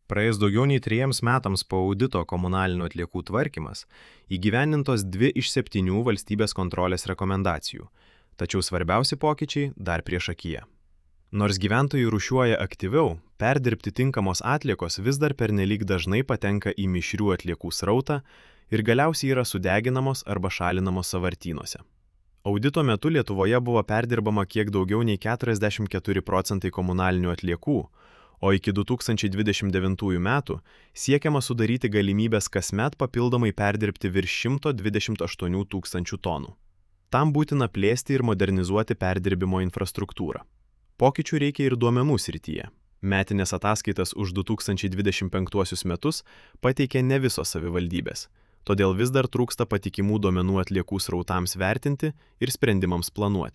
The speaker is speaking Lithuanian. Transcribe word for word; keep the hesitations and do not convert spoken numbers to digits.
Praėjus daugiau nei trejiems metams po audito komunalinių atliekų tvarkymas, įgyvendintos dvi iš septynių valstybės kontrolės rekomendacijų, tačiau svarbiausi pokyčiai dar priešakyje. Nors gyventojai rūšiuoja aktyviau, perdirbti tinkamos atliekos vis dar pernelyg dažnai patenka į mišrių atliekų srautą ir galiausiai yra sudeginamos arba šalinamos sąvartynuose. Audito metu Lietuvoje buvo perdirbama kiek daugiau nei keturiasdešimt keturi procentai komunalinių atliekų, o iki du tūkstančiai dvidešimt devintųjų metų siekiama sudaryti galimybės kasmet papildomai perdirbti virš šimto dvidešimt aštuonių tūkstančių tonų. Tam būtina plėsti ir modernizuoti perdirbimo infrastruktūrą. Pokyčių reikia ir duomenų srityje. Metinės ataskaitas už du tūkstančiai dvidešimt penktuosius metus pateikė ne visos savivaldybės, todėl vis dar trūksta patikimų duomenų atliekų srautams vertinti ir sprendimams planuoti.